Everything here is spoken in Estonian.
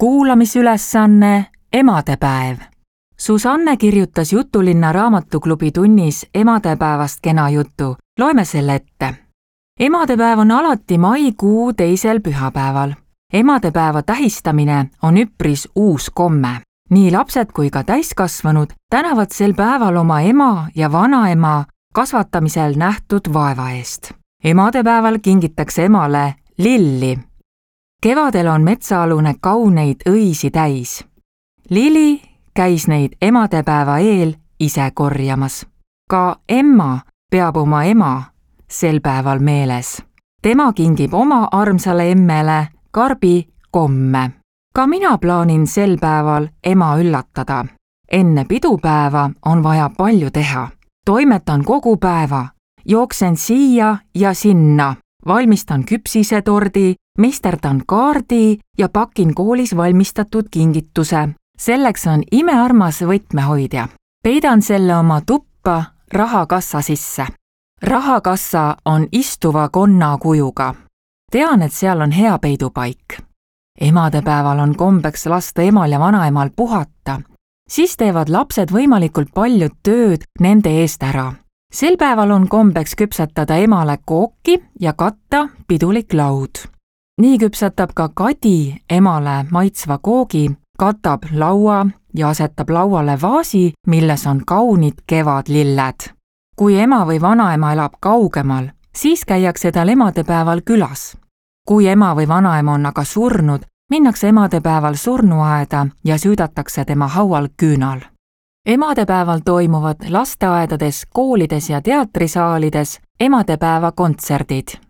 Kuulamisülesanne Emadepäev. Susanne kirjutas Jutulinna raamatuklubi tunnis emadepäevast kena jutu. Loeme selle ette. Emadepäev on alati maikuu 2. pühapäeval. Emadepäeva tähistamine on üpris uus komme. Nii lapsed kui ka täiskasvanud tänavad sel päeval oma ema ja vanaema kasvatamisel nähtud vaeva eest. Emadepäeval kingitakse emale lilli. Kevadel on metsaalune kauneid õisi täis. Lili käis neid emadepäeva eel ise korjamas. Ka emma peab oma ema sel päeval meeles. Tema kingib oma armsale emmele karbi komme. Ka mina plaanin sel päeval ema üllatada. Enne pidupäeva on vaja palju teha. Toimetan kogu päeva, jooksen siia ja sinna, valmistan küpsisetordi, meisterdan kaardi ja pakin koolis valmistatud kingituse. Selleks on imearmas võtmehoidja. Peidan selle oma tuppa rahakassa sisse. Rahakassa on istuva konna kujuga. Tean, et seal on hea peidupaik. Emadepäeval on kombeks lasta emal ja vanaemal puhata. Siis teevad lapsed võimalikult palju tööd nende eest ära. Sel päeval on kombeks küpsetada emale kooki ja katta pidulik laud. Nii küpsetab ka Kadi emale maitsva koogi, katab laua ja asetab lauale vaasi, milles on kaunid kevadlilled. Kui ema või vanaema elab kaugemal, siis käiakse tal emadepäeval külas. Kui ema või vanaema on aga surnud, minnakse emadepäeval surnuaeda ja süüdatakse tema haual küünal. Emadepäeval toimuvad lasteaedades, koolides ja teatrisaalides emadepäeva kontserdid.